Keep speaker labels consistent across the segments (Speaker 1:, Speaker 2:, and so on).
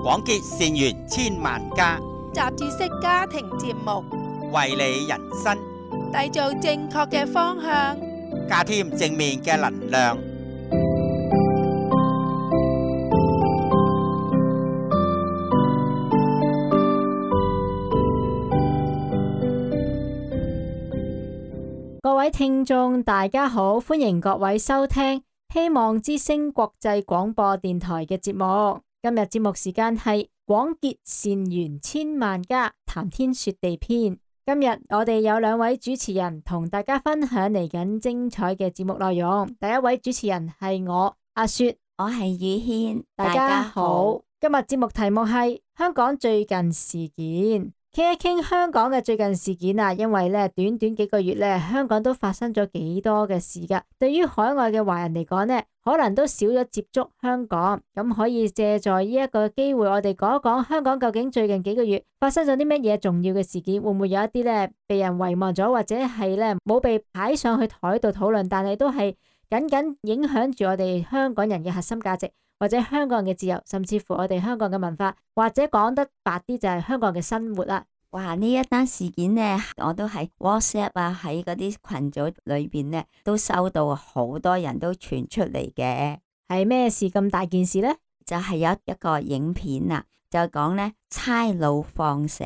Speaker 1: 廣結善緣千萬家，
Speaker 2: 雜誌式家庭節目，
Speaker 1: 為你人生
Speaker 2: 締造正確嘅方向，
Speaker 1: 加添正面嘅能量。
Speaker 3: 各位聽眾大家好，歡迎各位收聽希望之聲國際廣播電台嘅節目。今日節目時間係廣結善緣千萬家，談天說地篇。今日我哋有兩位主持人同大家分享嚟緊精彩嘅節目內容。第一位主持人係我阿雪，
Speaker 4: 我係宇軒，
Speaker 3: 大家好。今日節目題目係香港最近事件。傾一傾香港嘅最近事件啊，因為咧短短幾個月咧，香港都發生咗幾多嘅事噶。對於海外嘅華人嚟講咧，可能都少咗接觸香港，咁可以借助呢一個機會，我哋講一講香港究竟最近幾個月發生咗啲乜嘢重要嘅事件，會唔會有一啲咧被人遺忘咗，或者係咧冇被擺上去台度討論，但係都係緊緊影響住我哋香港人嘅核心價值，或者香港人嘅自由，甚至乎我哋香港嘅文化，或者講得白啲就係香港嘅生活啦。
Speaker 4: 哇！呢一單事件呢，我都喺 WhatsApp 啊，喺嗰啲群組裏邊呢，都收到好多人都傳出嚟嘅。
Speaker 3: 係咩事咁大件事呢？
Speaker 4: 就係有一個影片啊，就講呢差佬放蛇。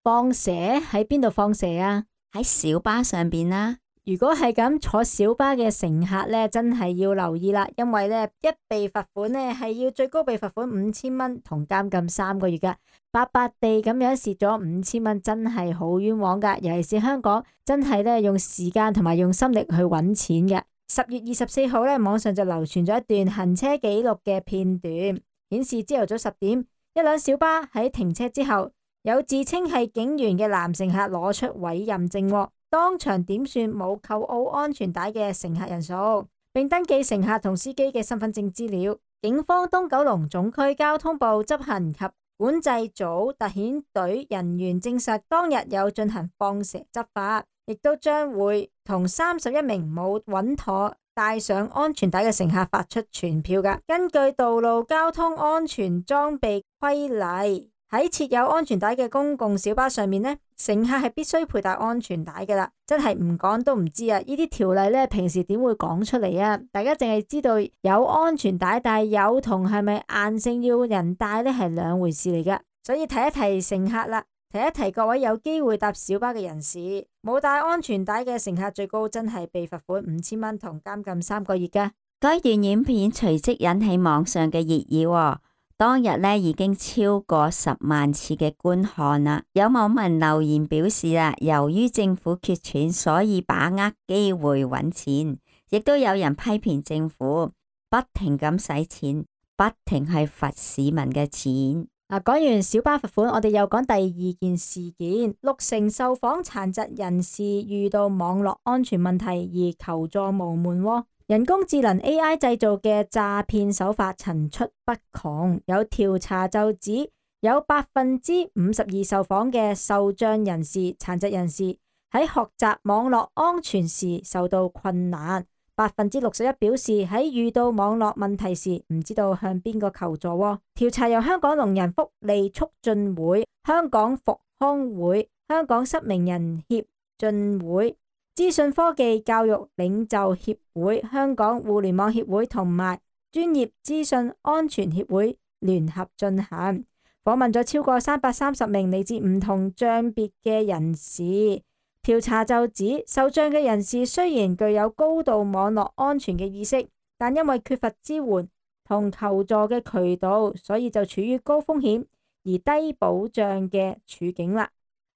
Speaker 3: 放蛇喺邊度放蛇啊？
Speaker 4: 喺小巴上邊啦。
Speaker 3: 如果係咁，坐小巴嘅乘客咧，真係要留意啦，因為咧一被罰款咧係要最高被罰款5000蚊同監禁3個月噶，白白地咁樣蝕咗5000蚊，真係好冤枉噶。尤其是香港，真係咧用時間同埋用心力去揾錢嘅。10月24號咧，網上就流傳咗一段行車記錄嘅片段，顯示朝頭早10點，一輛小巴喺停車之後，有自稱係警員嘅男乘客攞出委任證，當場點算冇扣好安全帶嘅乘客人數，並登記乘客同司機嘅身份證資料。警方東九龍總區交通部執行及管制組特遣隊人員證實，當日有進行放蛇執法，亦都將會同31名冇穩妥帶上安全帶嘅乘客發出傳票㗎。根據道路交通安全裝備規例，喺設有安全帶嘅公共小巴上面呢，乘客係必須佩戴安全帶㗎喇。真係唔講都唔知啊！呢啲條例呢，平時點會講出嚟啊？大家淨係知道有安全帶，但係有同係咪硬性要人帶呢，係兩回事嚟㗎。所以提一提乘客啦，提一提各位有機會搭小巴嘅人士，冇帶安全帶嘅乘客最高真係被罰款5000蚊同監禁3個月㗎。
Speaker 4: 該段影片隨即引起網上嘅熱議喎。當日呢已經超過10萬次嘅觀看啦，有網民留言表示啦，由於政府缺錢，所以把握機會揾錢，亦都有人批評政府不停咁使錢，不停係罰市民嘅錢。
Speaker 3: 講完小巴罰款，我哋又講第二件事件。6成受訪殘疾人士遇到網絡安全問題而求助無門喎。人工智能 AI 製造嘅詐騙手法層出不窮，有調查就指有52%受訪嘅受障人士、殘疾人士喺學習網絡安全時受到困難，61%表示喺遇到網絡問題時唔知道向邊個求助。調查由香港聾人福利促進會、香港復康會、香港失明人協進會、資訊科技教育領袖協會、香港互聯網協會同埋專業資訊安全協會聯合進行，訪問咗超過330名嚟自唔同障別嘅人士。調查就指，受障嘅人士雖然具有高度網絡安全嘅意識，但因為缺乏支援同求助嘅渠道，所以就處於高風險而低保障嘅處境啦。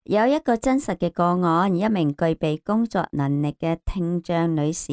Speaker 4: 有一個真實嘅個案，一名具備工作能力嘅聽障女士，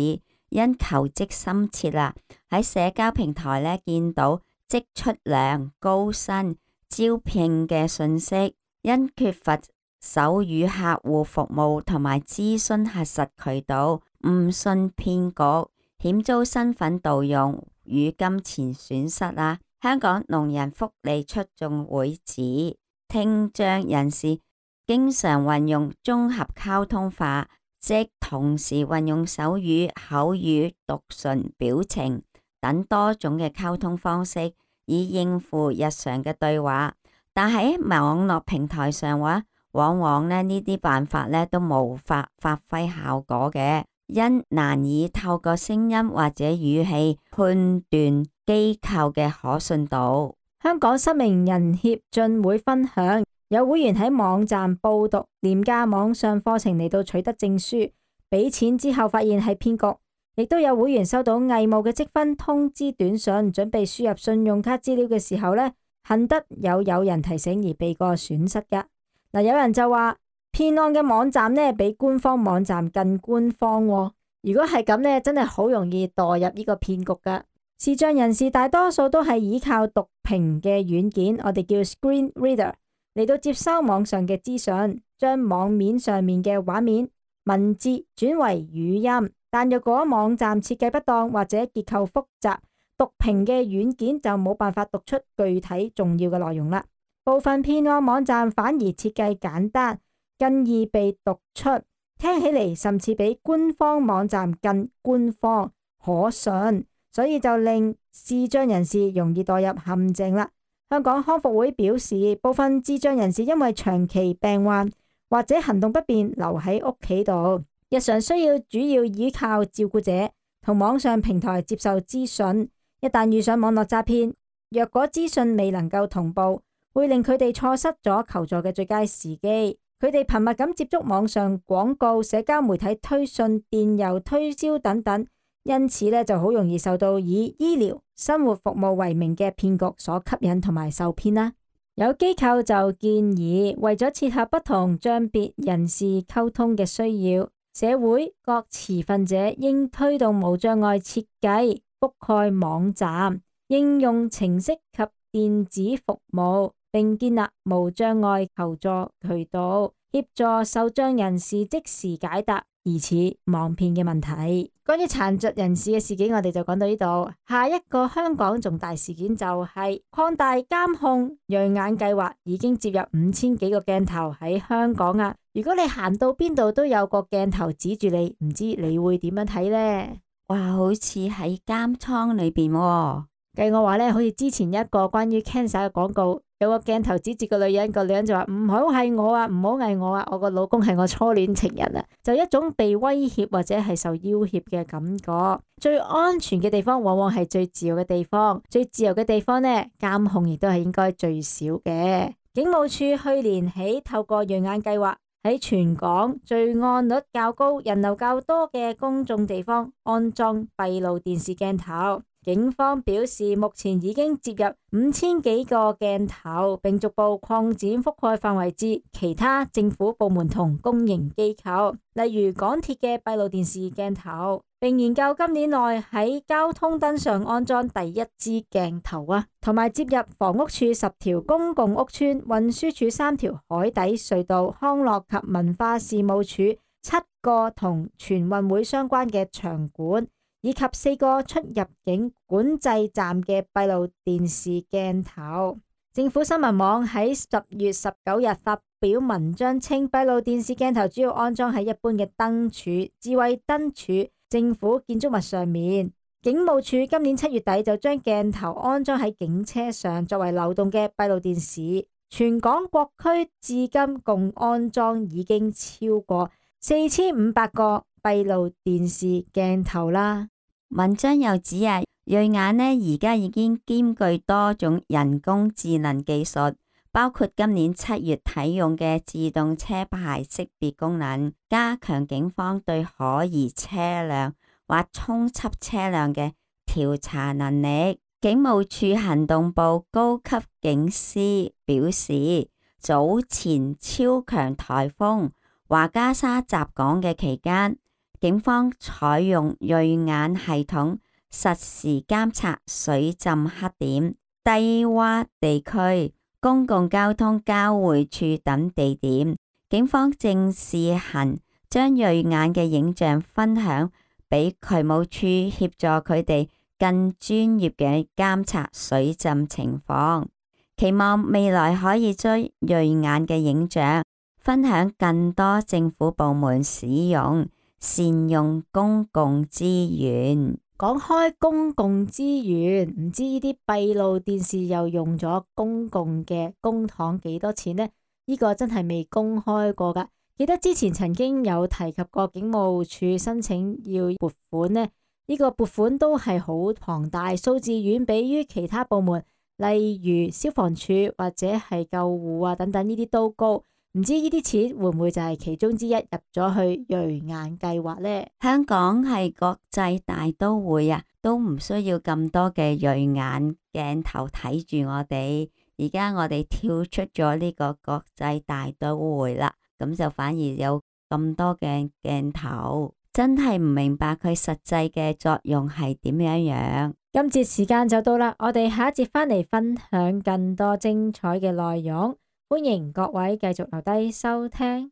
Speaker 4: 因求職心切啦，喺社交平台呢見到即出糧、高薪、招聘嘅信息，因缺乏手語客戶服務同埋諮詢核實渠道，誤信騙局，險遭身份盜用與金錢損失啦。香港聾人福利促進會指，聽障人士經常運用綜合溝通法，即同時運用手語、口語、讀唇、表情等多種嘅溝通方式，以應付日常嘅對話。但喺網絡平台上話，往往呢啲辦法呢都無法發揮效果嘅，因難以透過聲音或者語氣判斷機構嘅可信度。
Speaker 3: 香港失明人協進會分享，有會員喺網站報讀廉價網上課程嚟到取得證書，俾錢之後發現係騙局，亦都有會員收到偽冒嘅積分通知短信，準備輸入信用卡資料嘅時候呢，幸得有人提醒而避過損失噶。嗱，有人就話騙案嘅網站呢比官方網站更官方喎。如果係咁呢，真係好容易墮入呢個騙局噶。視障人士大多數都係依靠讀屏嘅軟件，我哋叫 screen reader 嚟到接收網上嘅資訊，將網面上面嘅畫面、文字轉為語音。但若果網站設計不當或者結構複雜，讀屏嘅軟件就冇辦法讀出具體重要嘅內容啦。部分騙案網站反而設計簡單，更易被讀出，聽起嚟甚至比官方網站更官方可信，所以就令視障人士容易墮入陷阱啦。香港康復會表示，部分智障人士因為長期病患或者行動不便留喺屋企度，日常需要主要依靠照顧者同網上平台接受資訊。一旦遇上網絡詐騙，若果資訊未能夠同步，會令佢哋錯失咗求助嘅最佳時機。佢哋頻密咁接觸網上廣告、社交媒體推訊、電郵推銷等等，因此呢就好容易受到以醫療、生活服務為名嘅騙局所吸引同埋受騙啦。有機構就建議，為咗切合不同障別人士溝通嘅需要，社會各持份者應推動無障礙設計，覆蓋網站、應用程式及電子服務，並建立無障礙求助渠道，協助受障人士即時解答疑似網騙嘅問題。關於殘疾人士嘅事件，我哋就講到呢度。下一個香港重大事件就係擴大監控銳眼計劃，已經接入5000幾個鏡頭喺香港啊！如果你行到邊度都有個鏡頭指住你，唔知你會點樣睇呢？
Speaker 4: 哇，好似喺監倉裏邊喎。
Speaker 3: 計我話呢，好似之前一個關於 cancer 嘅廣告，有個鏡頭指住個女人，個女人就話唔好係我啊，唔好係我啊，我個老公係我初戀情人啊，就一種被威脅或者係受要挾嘅感覺。最安全嘅地方往往係最自由嘅地方，最自由嘅地方呢，監控亦都係應該最少嘅。警務處去年起透過銳眼計劃，喺全港罪案率較高、人流較多嘅公眾地方安裝閉路電視鏡頭。警方表示，目前已經接入5000幾個鏡頭，並逐步擴展覆蓋範圍至其他政府部門同公營機構，例如港鐵嘅閉路電視鏡頭，並研究今年內喺交通燈上安裝第一支鏡頭啊，同埋接入房屋處10條公共屋邨、運輸署3條海底隧道、康樂及文化事務署7個同全運會相關嘅場館，以及4個出入境管制站嘅閉路電視鏡頭。政府新聞網喺10月19日發表文章稱，閉路電視鏡頭主要安裝喺一般嘅燈柱、智慧燈柱、政府建築物上面。警務處今年7月底就將鏡頭安裝喺警車上，作為流動嘅閉路電視。全港各區至今共安裝已經超過4500個閉路電視鏡頭啦。
Speaker 4: 文章又指啊，銳眼呢而家已經兼具多種人工智能技術，包括今年7月啟用嘅自動車牌識別功能，加強警方對可疑車輛或衝緝車輛嘅調查能力。警務處行動部高級警司表示，早前超強颱風華加莎襲港嘅期間，警方採用銳眼系統實時監察水浸黑點、低洼地區、公共交通交匯處等地點。警方正試行將銳眼嘅影像分享俾渠務處，協助佢哋更專業嘅監察水浸情況。期望未來可以將銳眼嘅影像分享更多政府部門使用，善用公共資源。
Speaker 3: 講開公共資源，唔知呢啲閉路電視又用咗公共嘅公帑幾多錢呢？呢個真係未公開過噶。記得之前曾經有提及過警務處申請要撥款呢，呢個撥款都係好龐大，數字遠比於其他部門，例如消防處或者係救護啊等等呢啲都高。唔知呢啲錢會唔會就係其中之一入咗去銳眼計劃呢？
Speaker 4: 香港係國際大都會啊，都唔需要咁多嘅銳眼鏡頭睇住我哋。而家我哋跳出咗呢個國際大都會啦，咁就反而有咁多嘅鏡頭，真係唔明白佢實際嘅作用係點樣。
Speaker 3: 今節時間就到啦，我哋下一節返嚟分享更多精彩嘅內容。歡迎各位繼續留低收聽。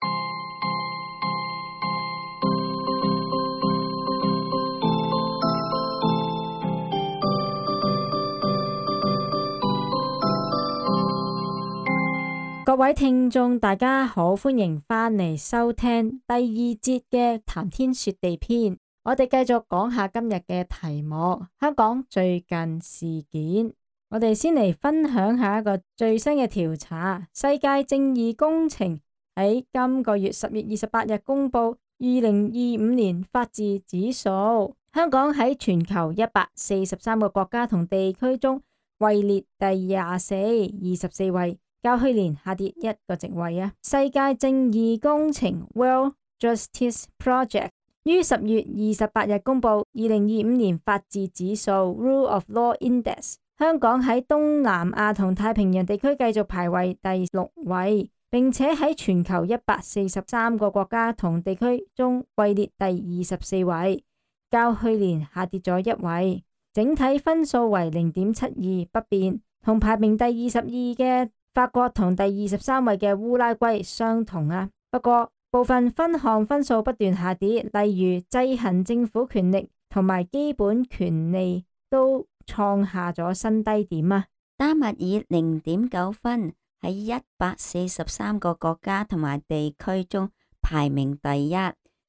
Speaker 3: 各位聽眾大家好，歡迎返嚟收聽第二節嘅談天說地篇。我哋繼續講下今日嘅題目，香港最近事件。我哋先嚟分享下一個最新嘅調查。世界正義工程喺今個月10月28日公布2025年法治指數，香港喺全球143個國家同地區中位列第24位，較去年下跌一個席位啊。世界正義工程 World Justice Project 於10月28日公布2025年法治指數 Rule of Law Index。香港喺東南亞同太平洋地區繼續排位第6位，並且喺全球143個國家同地區中位列第24位，較去年下跌咗一位。整體分數為0.72不變，同排名第22嘅法國同第23位嘅烏拉圭相同啊。不過部分分項分數不斷下跌，例如制衡政府權力同埋基本權利都創下咗新低點啊！
Speaker 4: 丹麥以0.9分喺143個國家同埋地區中排名第一，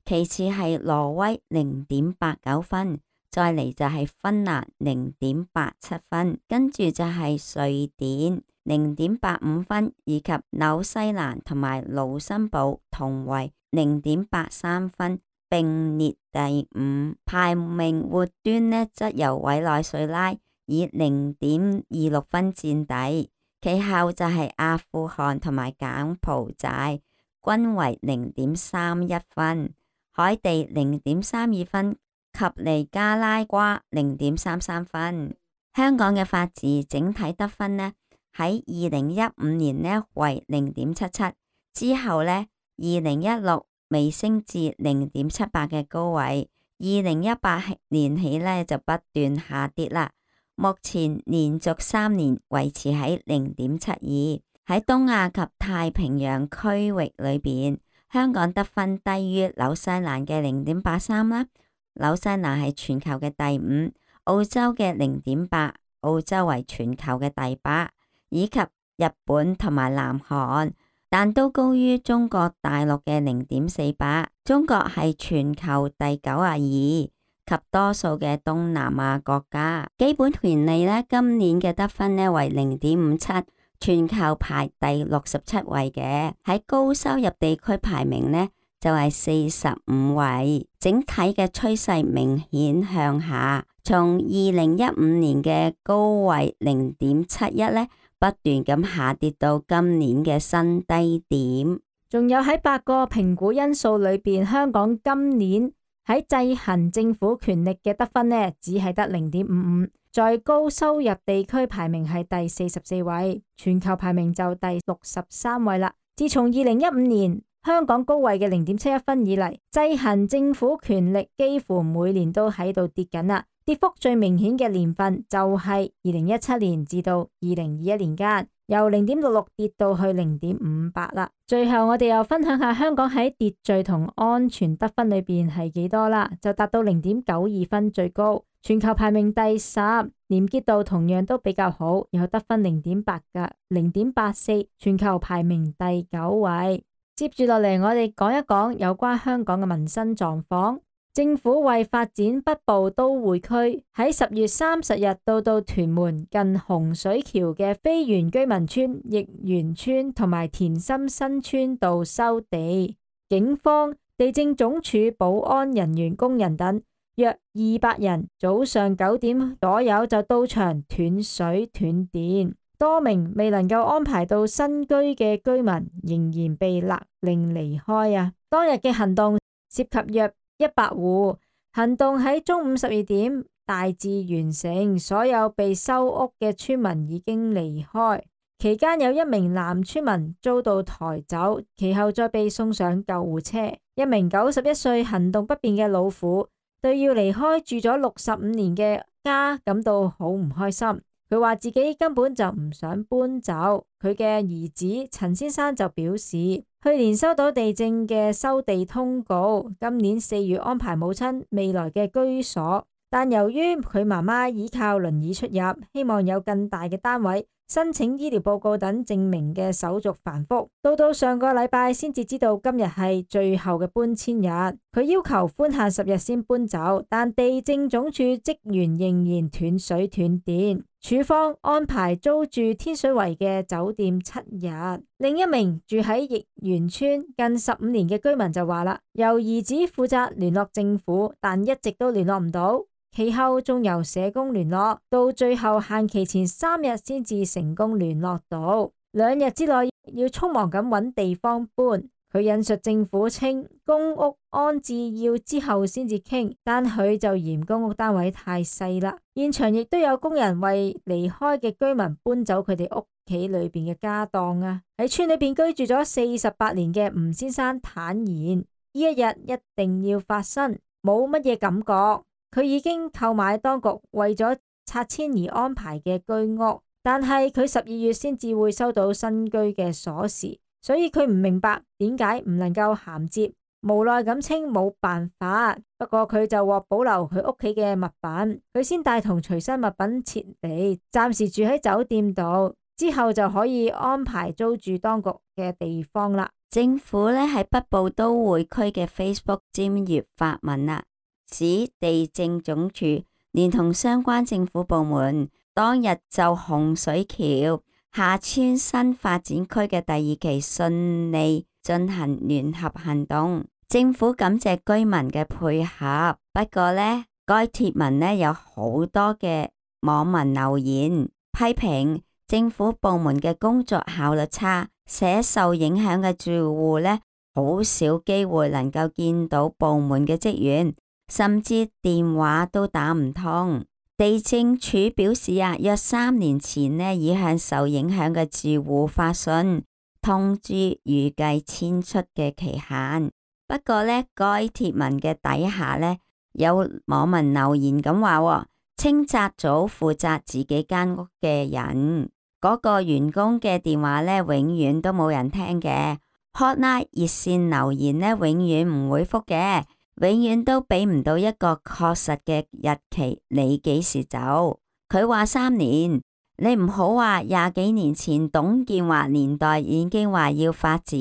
Speaker 4: 其次係挪威0.89分，再嚟就係芬蘭0.87分，跟住就係瑞典0.85分，以及紐西蘭同埋盧森堡同為0.83分，並列第五。排名末端呢，則由委內瑞拉以0.26分佔底，其後就係阿富汗同埋柬埔寨，均為0.31分，海地0.32分，及尼加拉瓜0.33分。香港嘅法治整體得分呢，喺2015年呢為0.77，之後呢2016微升至0.78嘅高位，2018年起呢就不斷下跌啦。目前連續3年維持喺0.72。喺東亞及太平洋區域裏邊，香港得分低於紐西蘭嘅0.83啦。紐西蘭係全球嘅第5，澳洲嘅0.8，澳洲為全球嘅第8，以及日本同埋南韓，但都高於中國大陸嘅0.48。中國係全球第92，及多數嘅東南亞國家。基本權利呢，今年嘅得分呢為0.57，全球排第67位嘅。喺高收入地區排名呢就係45位，整體嘅趨勢明顯向下，從2015年嘅高位0.71呢不斷咁下跌到今年嘅新低點。仲有喺8個評估因素裏邊，香港今年喺制衡政府權力嘅得分呢，只係得0.55，在高收入地區排名係第44位，全球排名就第63位啦。自從2015年香港高位嘅0.71分以嚟，制衡政府權力幾乎每年都喺度跌緊啦。跌幅最明顯嘅年份就係2017年至到2021年間，由0.66跌到去0.58啦。最後我哋又分享下香港喺秩序同安全得分裏邊係幾多啦，就達到0.92分最高，全球排名第10，廉潔度同樣都比較好，有得分0.8嘅0.84，全球排名第9位。接住落嚟，我哋講一講有關香港嘅民生狀況。
Speaker 3: 政府為發展北部都會區，喺10月30日到屯門近洪水橋嘅非原居民村、奕源村同埋田心新村度收地。警方、地政總署保安人員、工人等約200人，早上9點左右就到場斷水斷電，多名未能夠安排到新居嘅居民仍然被勒令離開啊！當日嘅行動涉及約100戶，行動喺中午12點大致完成，所有被收屋嘅村民已經離開。期間有1名男村民遭到抬走，其後再被送上救護車。1名91歲行動不便嘅老婦對要離開住咗65年嘅家感到好唔開心。佢話自己根本就唔想搬走。佢嘅兒子陳先生就表示，去年收到地政嘅收地通告，今年4月安排母親未來嘅居所，但由於佢媽媽依靠輪椅出入，希望有更大嘅單位，申請醫療報告等證明嘅手續繁複，到上個禮拜先至知道今日係最後嘅搬遷日。佢要求寬限10日先搬走，但地政總署職員仍然斷水斷電。署方安排租住天水圍嘅酒店7日。另一名住喺奕源村近15年嘅居民就話啦，由兒子負責聯絡政府，但一直都聯絡唔到。其後仲由社工聯絡，到最後限期前3日先至成功聯絡到。2日之內要匆忙咁揾地方搬。佢引述政府稱公屋安置要之後先至傾，但佢就嫌公屋單位太細啦。現場亦都有工人為離開嘅居民搬走佢哋屋企裏邊嘅家當啊！喺村裏邊居住咗48年嘅吳先生坦言，呢一日一定要發生，冇乜嘢感覺。佢已經購買當局為咗拆遷而安排嘅居屋，但係佢12月先至會收到新居嘅鎖匙，所以佢唔明白點解唔能夠銜接，無奈咁稱冇辦法。不過佢就獲保留佢屋企嘅物品，佢先帶同隨身物品撤離，暫時住喺酒店度，之後就可以安排租住當局嘅地方啦。
Speaker 4: 政府呢喺北部都會區嘅 Facebook 專頁發文啦，指地政總署連同相關政府部門當日就洪水橋下村新發展區嘅第2期順利進行聯合行動，政府感謝居民嘅配合。不過呢，該貼文呢有好多嘅網民留言批評政府部門嘅工作效率差，寫受影響嘅住戶呢好少機會能夠見到部門嘅職員，甚至電話都打唔通。地政署表示約3年前呢已向受影響嘅住戶發信通知預計遷出嘅期限。不過呢，該貼文嘅底下呢有網民留言咁話，清拆組負責自己間屋嘅人，嗰個員工嘅電話呢永遠都冇人聽嘅。Hotline 熱線留言呢永遠唔會覆嘅，永遠都俾唔到一個確實嘅日期，你幾時走？佢話3年，你唔好話20幾年前董建華年代已經話要發展。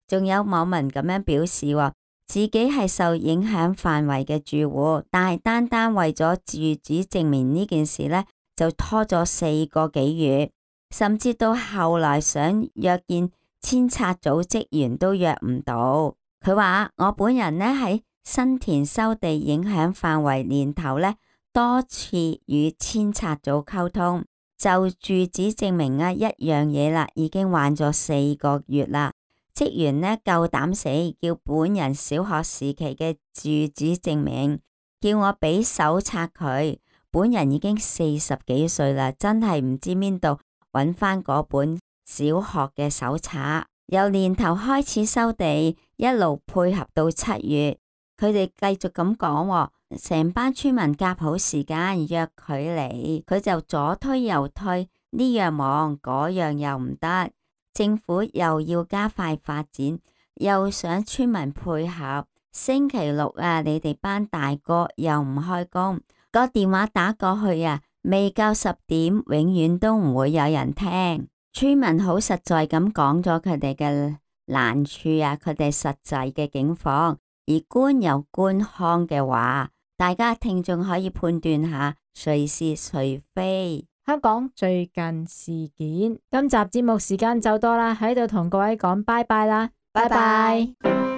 Speaker 4: 仲有網民咁樣表示，自己係受影響範圍嘅住戶，但係單為咗住址證明呢件事呢，就拖咗4個幾月，甚至到後來想約見遷拆組職員都約唔到。佢話我本人呢喺新田收地影響範圍年頭呢，多次與遷拆組溝通，就住址證明一樣嘢啦，已經玩咗4個月啦。職員呢夠膽死，叫本人小學時期嘅住址證明，叫我俾手冊佢。本人已經40幾歲啦，真係唔知邊度揾翻嗰本小學嘅手冊。由年頭開始收地，一路配合到7月。佢哋繼續咁講，成班村民夾好時間約佢嚟，佢就左推右推，呢樣忙嗰樣又唔得。政府又要加快發展，又想村民配合。星期6你哋班大哥又唔開工，個電話打過去未夠10點，永遠都唔會有人聽。村民好實在咁講咗佢哋嘅難處佢哋實際嘅境況。而官有官腔嘅話，大家聽眾可以判斷下誰是誰非。
Speaker 3: 香港最近事件，今集節目時間就多啦，喺度同各位講拜拜啦，拜拜。